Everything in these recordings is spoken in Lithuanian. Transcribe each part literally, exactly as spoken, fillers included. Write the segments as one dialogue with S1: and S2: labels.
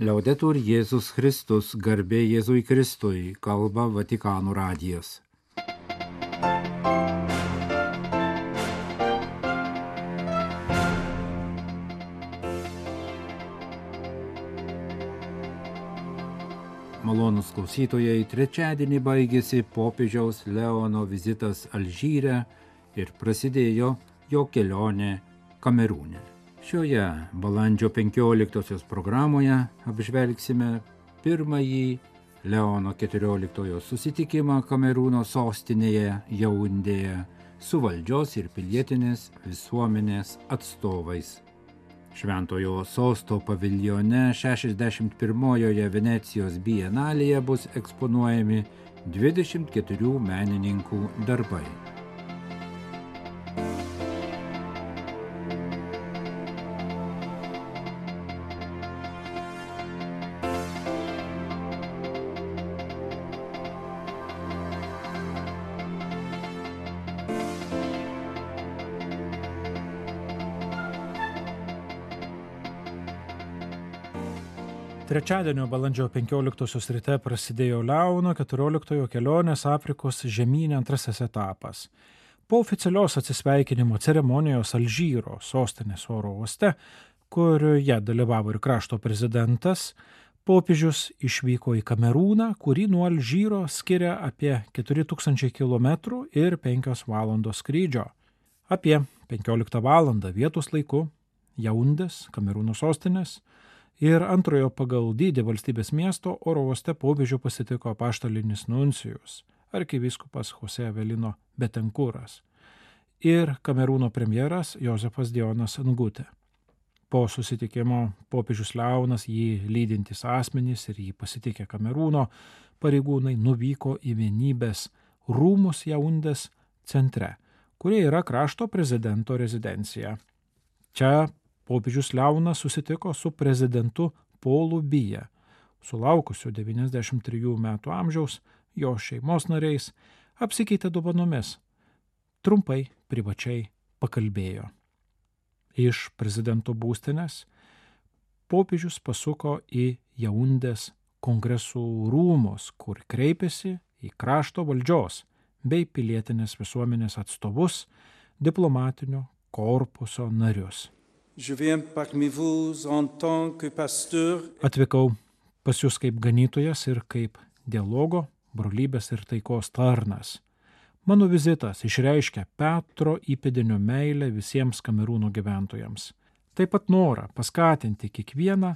S1: Liaudetur Jėzus Kristus, garbė Jėzui Kristui, kalba Vatikano radijas. Malonūs klausytojai, trečiadienį baigėsi popiežiaus Leono vizitas Alžyre ir prasidėjo jo kelionė Kamerūne. Šioje balandžio penkioliktosios programoje apžvelgsime pirmąjį Leono keturioliktojo susitikimą Kamerūno sostinėje Jaundėje su valdžios ir pilietinės visuomenės atstovais. Šventojo sosto paviljone šešiasdešimt pirmojoje Venecijos bienalėje bus eksponuojami dvidešimt keturių menininkų darbai.
S2: Trečiadienio balandžio penkioliktosios ryte prasidėjo Leono keturioliktojo kelionės Afrikos žemyne antrasis etapas. Po oficialios atsisveikinimo ceremonijos Alžyro sostinės oro uoste, kurioje dalyvavo ir krašto prezidentas, popiežius išvyko į Kamerūną, kurį nuo Alžyro skiria apie keturi tūkstančiai kilometrų ir penkios valandos skrydžio. Apie penkioliktą valandą vietos laiku Jaundės, Kamerūno sostinės, ir antrojo pagal dydį valstybės miesto oro uoste popiežių pasitiko apaštalinis nuncijus, arkivyskupas Jose Avelino Betankuras ir Kamerūno premjeras Jozefas Dionas Ngutė. Po susitikimo popiežius Leonas, jį lydintys asmenys ir jį pasitikę Kamerūno pareigūnai nuvyko į vienybės rūmus Jaundės centre, kurie yra krašto prezidento rezidencija. Čia popiežius Leonas susitiko su prezidentu Polu Biya, sulaukusiu devyniasdešimt trijų metų amžiaus, jo šeimos nariais, apsikeitė dovanomis. Trumpai, privačiai pakalbėjo. Iš prezidento būstinės popiežius pasuko į Jaundės kongresų rūmus, kur kreipėsi į krašto valdžios bei pilietinės visuomenės atstovus, diplomatinio korpuso narius. Atvykau pas jūs kaip ganytojas ir kaip dialogo, brolybės ir taikos tarnas. Mano vizitas išreiškia Petro įpėdinio meilę visiems Kamerūno gyventojams. Taip pat norą paskatinti kiekvieną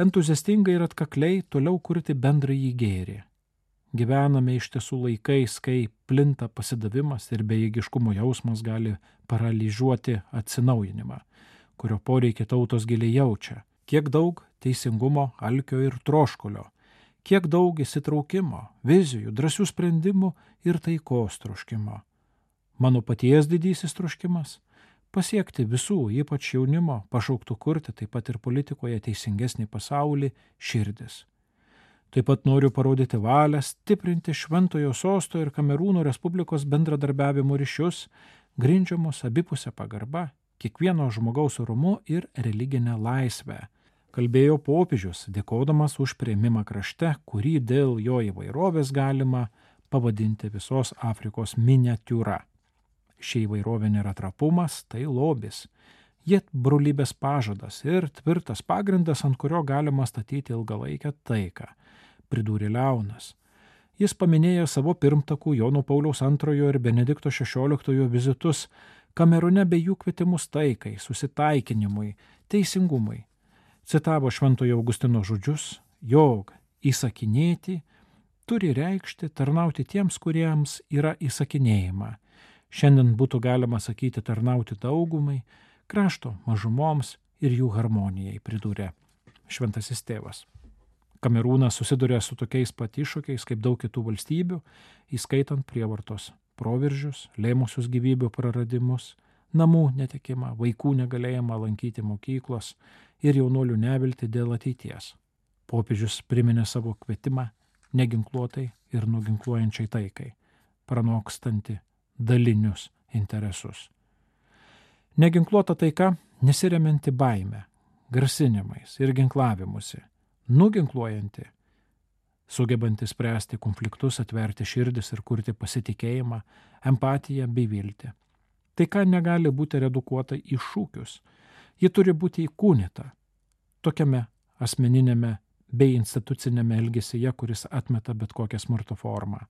S2: entuziastingai ir atkakliai toliau kurti bendrąjį gėrį. Gyvename iš tiesų laikais, kai plinta pasidavimas ir bejėgiškumo jausmas gali paralyžiuoti atsinaujinimą, kurio poreikį tautos giliai jaučia. Kiek daug teisingumo, alkio ir troškulio, kiek daug įsitraukimo, vizijų, drąsių sprendimų ir taikos troškimo. Mano paties didysis troškimas – pasiekti visų, ypač jaunimo, pašauktų kurti taip pat ir politikoje teisingesnį pasaulį širdis. Taip pat noriu parodyti valią stiprinti Šventojo sosto ir Kamerūno Respublikos bendradarbiavimo ryšius, grindžiamus abipusę pagarbą, kiekvieno žmogaus orumu ir religinę laisvę. Kalbėjo popiežius, dėkodamas už priėmimą krašte, kurį dėl jo įvairovės galima pavadinti visos Afrikos miniatiūra. Ši įvairovė nėra trapumas, tai lobis. Jie brolybės pažadas ir tvirtas pagrindas, ant kurio galima statyti ilgalaikę taiką, pridūrė Leonas. Jis paminėjo savo pirmtakų Jono Pauliaus antrojo ir Benedikto šešioliktojo vizitus Kamerūne bei jų kvietimus taikai, susitaikinimui, teisingumui. Citavo Šventojo Augustino žodžius, jog įsakinėti turi reikšti tarnauti tiems, kuriems yra įsakinėjama. Šiandien būtų galima sakyti tarnauti daugumai, krašto mažumoms ir jų harmonijai, pridūrė šventasis tėvas. Kamerūnas susiduria su tokiais pat iššūkiais kaip daug kitų valstybių, įskaitant prievartos proveržius, lėmusius gyvybių praradimus, namų netekimą, vaikų negalėjimą lankyti mokyklos ir jaunuolių neviltį dėl ateities. Popiežius priminė savo kvietimą neginkluotai ir nuginkluojančiai taikai, pranokstanti dalinius interesus. Neginkluota taika nesiremianti baime, grasinimais ir ginklavimusi, nuginkluojanti, sugebanti spręsti konfliktus, atverti širdis ir kurti pasitikėjimą, empatiją bei viltį. Taika negali būti redukuota į šūkius. Ji turi būti įkūnyta tokiame asmeninėme bei institucinėme elgesyje, kuris atmeta bet kokią smurto formą.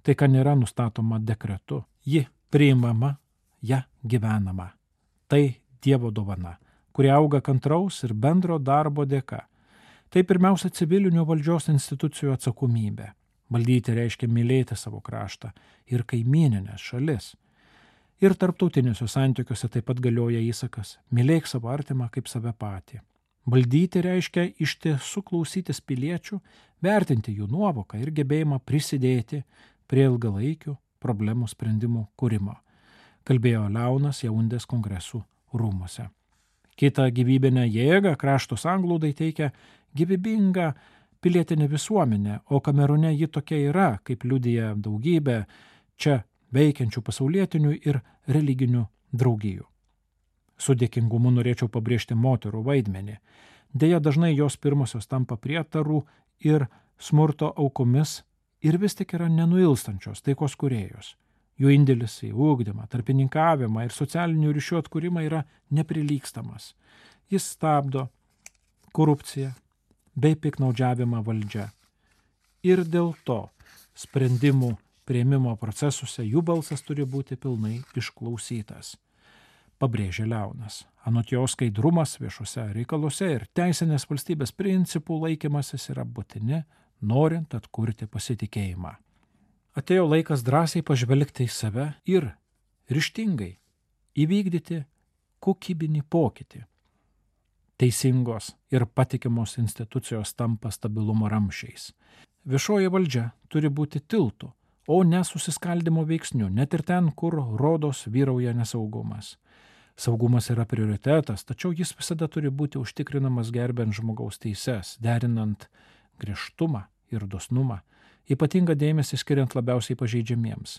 S2: Taika nėra nustatoma dekretu. Ji priimama, ją gyvenama. Tai Dievo dovana, kuri auga kantraus ir bendro darbo dėka. Tai pirmiausia civilinių valdžios institucijų atsakomybė. Valdyti reiškia mylėti savo kraštą ir kaimyninės šalis. Ir tarptautiniuose santykiuose taip pat galioja įsakas – mylėk savo artimą kaip save patį. Valdyti reiškia iš tiesų klausytis piliečių, vertinti jų nuovoką ir gebėjimą prisidėti prie ilgalaikių problemų sprendimų kūrimo, kalbėjo Leonas Jaundės kongresų rūmuose. Kita gyvybinė jėga krašto sanglūdai teikia gyvybingą pilietinę visuomenę, o Kamerūne ji tokia yra, kaip liudija daugybė čia veikiančių pasaulietinių ir religinių draugijų. Su dėkingumu norėčiau pabrėžti moterų vaidmenį. Deja, dažnai jos pirmosios tampa prietarų ir smurto aukomis ir vis tik yra nenuilstančios taikos kūrėjos. Jų indėlis į ugdymą, tarpininkavimą ir socialinių ryšių atkūrimą yra neprilygstamas. Jis stabdo korupciją bei piknaudžiavimą valdžia. Ir dėl to sprendimų priėmimo procesuose jų balsas turi būti pilnai išklausytas. Pabrėžė Leonas. Anot jo skaidrumas viešuose reikaluose ir teisinės valstybės principų laikymasis yra būtini, norint atkurti pasitikėjimą. Atėjo laikas drąsiai pažvelgti į save ir ryžtingai įvykdyti kokybinį pokytį. Teisingos ir patikimos institucijos tampa stabilumo ramsčiais. Viešoji valdžia turi būti tiltu, o ne susiskaldimo veiksniu, net ir ten, kur rodos vyrauja nesaugumas. Saugumas yra prioritetas, tačiau jis visada turi būti užtikrinamas gerbent žmogaus teises, derinant griežtumą ir dosnumą, ypatingą dėmesį skiriant labiausiai pažeidžiamiems.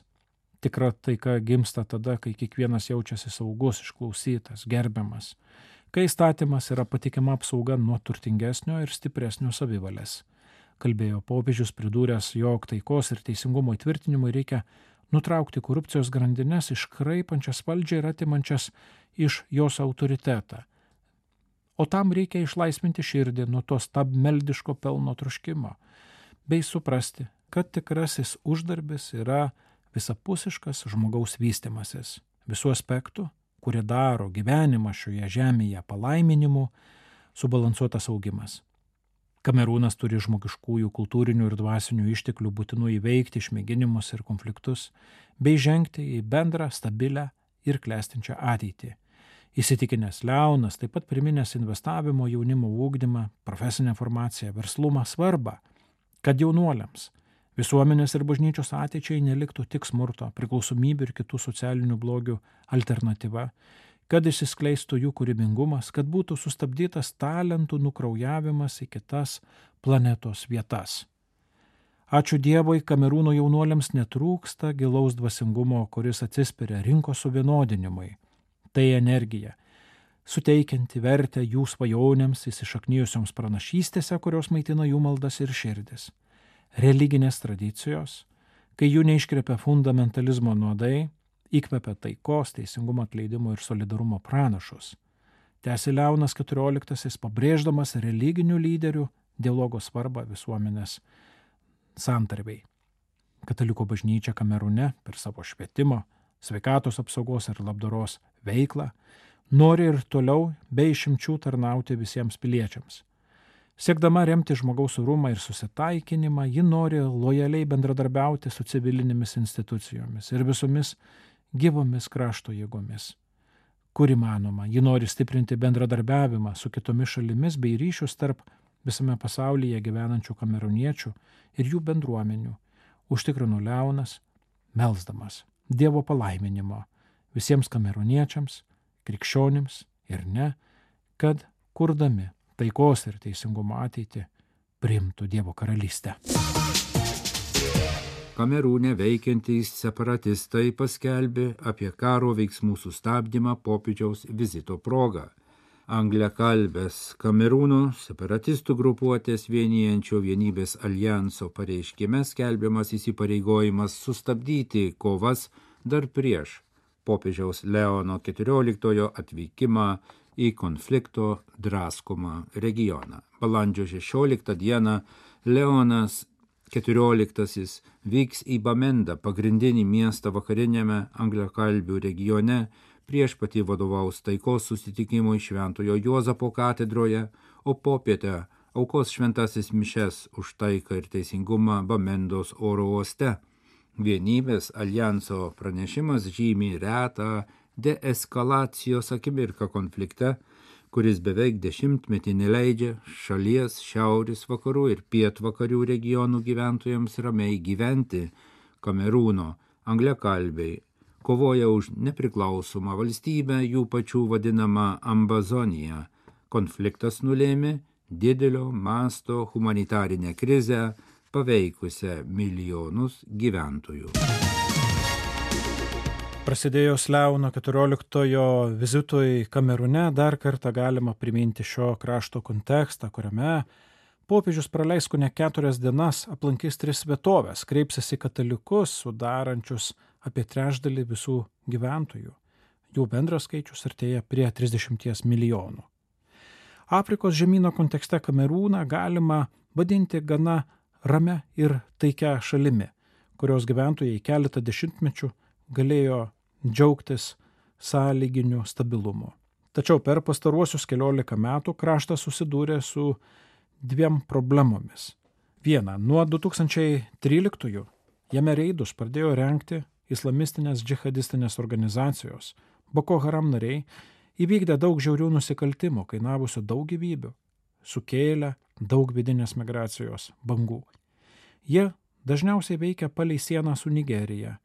S2: Tikra taika gimsta tada, kai kiekvienas jaučiasi saugus, išklausytas, gerbiamas, kai įstatymas yra patikima apsauga nuo turtingesnio ir stipresnio savivalės. Kalbėjo popiežius, pridūręs, jog taikos ir teisingumo įtvirtinimui reikia nutraukti korupcijos grandines, iškraipančias valdžią ir atimančias iš jos autoritetą. O tam reikia išlaisvinti širdį nuo to stabmeldiško pelno troškimo, bei suprasti, kad tikrasis uždarbis yra visapusiškas žmogaus vystimasis, visų aspektų, kurie daro gyvenimą šioje žemėje palaiminimu, subalansuotas augimas. Kamerūnas turi žmogiškųjų, kultūrinių ir dvasinių išteklių būtinų įveikti išmėginimus ir konfliktus, bei žengti į bendrą, stabilę ir klestinčią ateitį. Įsitikinęs Leonas taip pat priminęs investavimo jaunimo ugdymą, profesinę formaciją, verslumą svarbą, kad jaunuoliams, visuomenės ir bažnyčios ateičiai neliktų tik smurto, priklausomybių ir kitų socialinių blogių alternatyva, kad išsiskleistų jų kūrybingumas, kad būtų sustabdytas talentų nukraujavimas į kitas planetos vietas. Ačiū Dievui, Kamerūno jaunuoliams netrūksta gilaus dvasingumo, kuris atsispiria rinkos suvienodinimui. Tai energija, suteikianti vertę jų svajonėms įsišaknijusioms pranašystėse, kurios maitina jų maldas ir širdis. Religinės tradicijos, kai jų neiškvepia fundamentalizmo nuodai, įkvepia taikos, teisingumo, atleidimo ir solidarumo pranašus. Tęsė Leonas keturioliktasis, pabrėždamas religinių lyderių dialogo svarbą visuomenės santarvei. Katalikų bažnyčia Kamerūne per savo švietimo, sveikatos apsaugos ir labdaros veiklą nori ir toliau be išimčių tarnauti visiems piliečiams. Siekdama remti žmogaus orumą ir susitaikinimą, ji nori lojaliai bendradarbiauti su civilinėmis institucijomis ir visomis gyvomis krašto jėgomis. Kur įmanoma, ji nori stiprinti bendradarbiavimą su kitomis šalimis bei ryšius tarp visame pasaulyje gyvenančių kamerūniečių ir jų bendruomenių, užtikrino Leonas, melsdamas Dievo palaiminimo visiems kamerūniečiams, krikščionims ir ne, kad kurdami taikos ir teisingumo ateitį priimtų Dievo karalystę.
S1: Kamerūne veikiantys separatistai paskelbė apie karo veiksmų sustabdymą popiežiaus vizito progą. Angliakalbės Kamerūno separatistų grupuotės vienijančio Vienybės alijanso pareiškime skelbiamas įsipareigojimas sustabdyti kovas dar prieš popiežiaus Leono keturioliktojo atvykimą į konflikto draskomą regioną. Balandžio šešioliktą dieną Leonas keturioliktasis vyks į Bamendą, pagrindinį miestą vakariniame angliakalbių regione, prieš patį vadovaus taikos susitikimui Šventojo Juozapo katedroje, o popietę aukos šventasis mišes už taiką ir teisingumą Bamendos oro uoste. Vienybės alijanso pranešimas žymi retą deeskalacijos akimirką konflikte, kuris beveik dešimtmetį neleidžia šalies šiaurės vakarų ir pietvakarių regionų gyventojams ramiai gyventi. Kamerūno angliakalbiai kovoja už nepriklausomą valstybę, jų pačių vadinamą Ambazoniją. Konfliktas nulėmė didelio masto humanitarinę krizę, paveikusią milijonus gyventojų.
S2: Prasidėjus Leono keturioliktojo vizitui Kamerūne dar kartą galima priminti šio krašto kontekstą, kuriame popiežius praleis kone keturias dienas, aplankys tris vietovės, kreipsis į katalikus, sudarančius apie trečdalį visų gyventojų. Jų bendras skaičius artėja prie trisdešimties milijonų. Afrikos žemyno kontekste Kamerūną galima vadinti gana ramia ir taikia šalimi, kurios gyventojai keletą dešimtmečių galėjo džiaugtis sąlyginiu stabilumu. Tačiau per pastaruosius keliolika metų kraštas susidūrė su dviem problemomis. Viena, nuo du tūkstančiai tryliktųjų jame reidus pradėjo rengti islamistinės džihadistinės organizacijos. Boko Haram nariai įvykdė daug žiaurių nusikaltimų, kainavusių daug gyvybių, sukėlė daug vidinės migracijos bangų. Jie dažniausiai veikia palei sieną su Nigerija,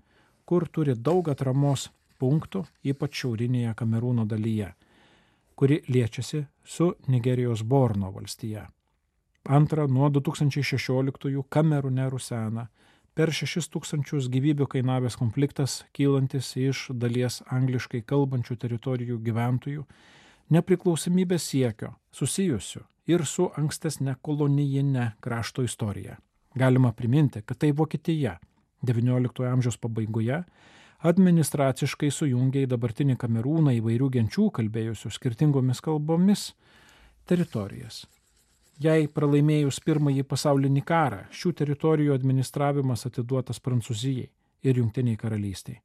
S2: kur turi daug atramos punktų, ypač šiaurinėje Kamerūno dalyje, kuri liečiasi su Nigerijos Borno valstija. Antra, nuo du tūkstančiai šešioliktųjų Kamerūne rusena per šešis tūkstančius gyvybių kainavęs konfliktas, kylantis iš dalies angliškai kalbančių teritorijų gyventojų, nepriklausomybės siekio susijusių ir su ankstesne kolonijine krašto istorija. Galima priminti, kad tai Vokietija devynioliktojo amžiaus pabaigoje administraciškai sujungė į dabartinį Kamerūną įvairių genčių kalbėjusių skirtingomis kalbomis teritorijas. Jei pralaimėjus pirmąjį pasaulinį karą, šių teritorijų administravimas atiduotas Prancūzijai ir Jungtiniai karalystiai,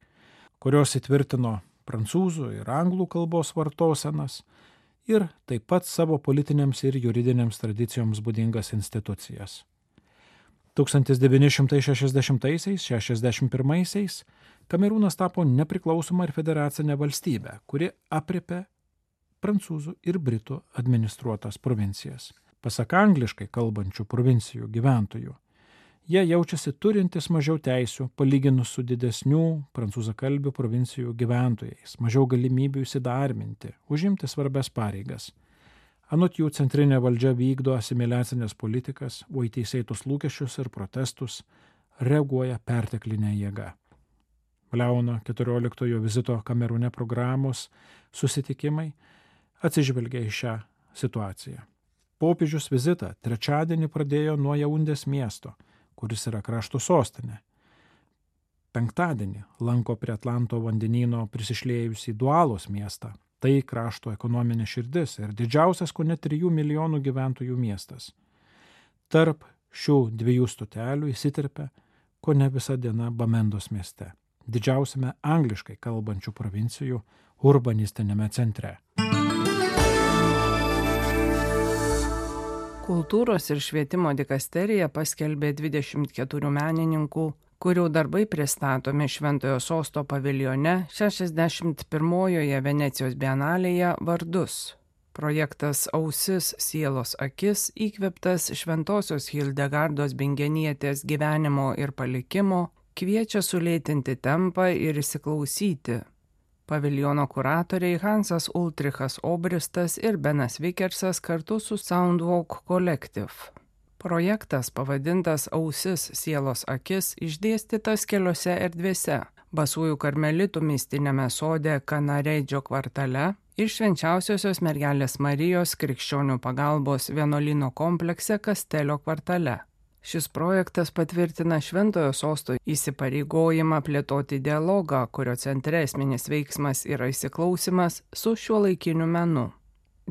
S2: kurios įtvirtino prancūzų ir anglų kalbos vartosenas ir taip pat savo politinėms ir juridinėms tradicijoms būdingas institucijas. tūkstantis devyni šimtai šešiasdešimtaisiais - šešiasdešimt pirmaisiais Kamerūnas tapo nepriklausoma ir federacinė valstybė, kuri aprėpė prancūzų ir britų administruotas provincijas. Pasak angliškai kalbančių provincijų gyventojų, jie jaučiasi turintis mažiau teisių palyginus su didesnių prancūzakalbių provincijų gyventojais, mažiau galimybių įsidarbinti, užimti svarbias pareigas. Anot jų centrinė valdžia vykdo asimiliacinės politikas, o į teisėtus lūkesčius ir protestus reaguoja perteklinė jėga. Leono keturioliktojo vizito Kamerūne programos susitikimai atsižvelgia į šią situaciją. Popiežius vizitą trečiadienį pradėjo nuo Jaundės miesto, kuris yra krašto sostinė. Penktadienį lanko prie Atlanto vandenyno prisišliejusį Dualos miestą. Tai krašto ekonominė širdis ir didžiausias kone trijų milijonų gyventojų miestas. Tarp šių dviejų stotelių įsiterpia kone visa diena Bamendos mieste, didžiausiame angliškai kalbančių provincijų urbanistinėme centre.
S3: Kultūros ir švietimo dikasterija paskelbė dvidešimt keturių menininkų, kurių darbai pristatomi Šventojo sosto paviljone šešiasdešimt pirmojoje Venecijos bienalėje vardus. Projektas Ausis, sielos akis įkvėptas Šventosios Hildegardos Bingenietės gyvenimo ir palikimo, kviečia sulėtinti tempą ir įsiklausyti. Paviljono kuratoriai Hansas Ultrichas Obristas ir Benas Vikersas kartu su Soundwalk Collective. Projektas pavadintas Ausis, sielos akis išdėstytas keliose erdvėse. Basųjų karmelitų mistinėme sode Kanareidžio kvartale, ir Švenčiausiosios mergelės Marijos krikščionių pagalbos vienuolyno komplekse Kastelio kvartale. Šis projektas patvirtina Šventojo sosto įsipareigojimą plėtoti dialogą, kurio centre esminis veiksmas yra įsiklausimas su šiuolaikiniu menu.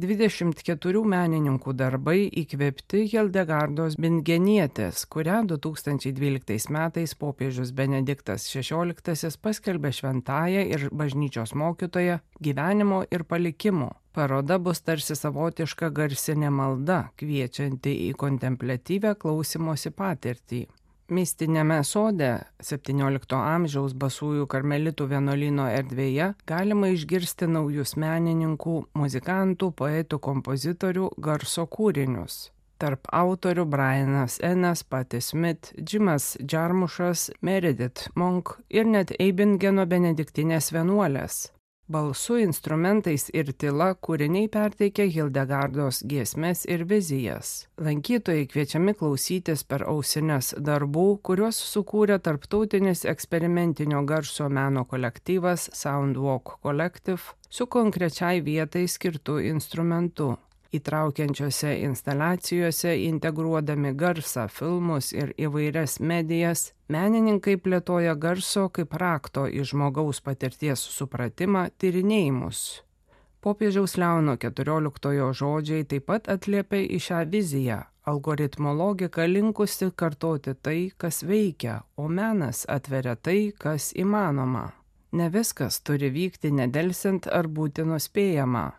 S3: dvidešimt keturių menininkų darbai įkvėpti Hildegardos Bingenietės, kurią du tūkstančiai dvyliktais metais popiežius Benediktas šešioliktasis paskelbė šventąja ir bažnyčios mokytoja gyvenimo ir palikimo. Paroda bus tarsi savotiška garsinė malda, kviečianti į kontempliatyvę klausimosi patirtį. Mistinėme sode septyniolikto amžiaus Basųjų karmelitų vienuolyno erdvėje galima išgirsti naujus menininkų, muzikantų, poetų, kompozitorių garso kūrinius. Tarp autorių Brianas Enas, Patti Smith, Jimas Jarmušas, Meredith Monk ir net Eibingeno benediktinės vienuolės. Balsu, instrumentais ir tyla kūriniai perteikia Hildegardos giesmes ir vizijas. Lankytojai kviečiami klausytis per ausines darbų, kuriuos sukūrė tarptautinis eksperimentinio garso meno kolektyvas Soundwalk Collective su konkrečiai vietai skirtu instrumentu. Įtraukiančiose instaliacijose integruodami garsą, filmus ir įvairias medijas, menininkai plėtoja garso kaip rakto į žmogaus patirties supratimą tyrinėjimus. Popiežiaus Leono keturioliktojo žodžiai taip pat atliepia į šią viziją. Algoritmo logika linkusi kartoti tai, kas veikia, o menas atveria tai, kas įmanoma. Ne viskas turi vykti nedelsiant ar būti nuspėjama.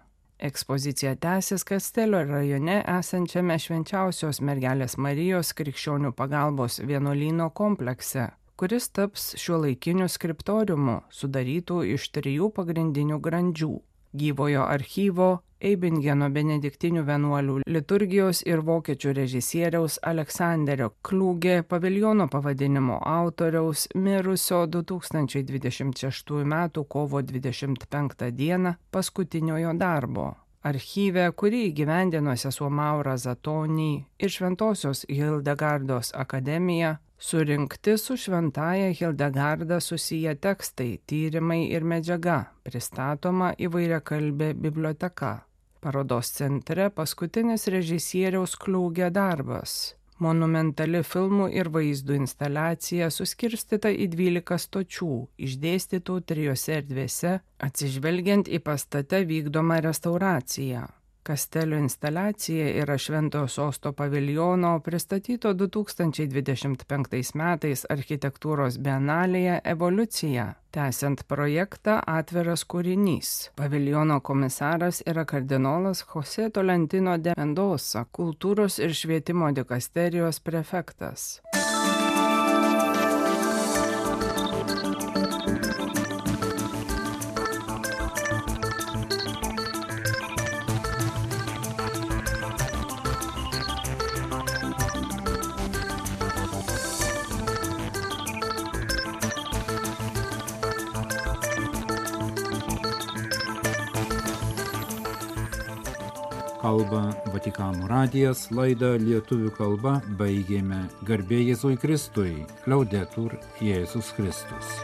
S3: Ekspozicija tęsis Kastelio rajone esančiame Švenčiausios mergelės Marijos krikščionių pagalbos vienuolyno komplekse, kuris taps šiuolaikiniu skriptoriumu, sudarytų iš trijų pagrindinių grandžių – gyvojo archyvo, Eibingeno benediktinių vienuolių liturgijos ir vokiečių režisieriaus Aleksanderio Kliūgė paviljono pavadinimo autoriaus mirusio du tūkstančiai dvidešimt šeštųjų metų kovo dvidešimt penktą dieną paskutiniojo darbo. Archyve, kurį įgyvendino sesuo Maura Zatoni ir Šventosios Hildegardos akademija, surinkti su šventąja Hildegarda susiję tekstai, tyrimai ir medžiaga, pristatoma įvairiakalbė biblioteka. Parodos centre paskutinis režisieriaus Kliūgė darbas. Monumentali filmų ir vaizdų instaliacija suskirstyta į dvylika stočių, išdėstytų trijose erdvėse, atsižvelgiant į pastate vykdomą restauraciją. Kastelio instaliacija yra Šventojo sosto paviljono pristatyto du tūkstančiai dvidešimt penktais metais architektūros bienalėje evoliucija. Tęsiant projektą atviras kūrinys. Paviljono komisaras yra kardinolas José Tolentino de Mendoza, kultūros ir švietimo dikasterijos prefektas.
S1: Kalba Vatikano radijas, laidą lietuvių kalba baigėme. Garbė Jėzui Kristui, Liaudetur Jėzus Kristus.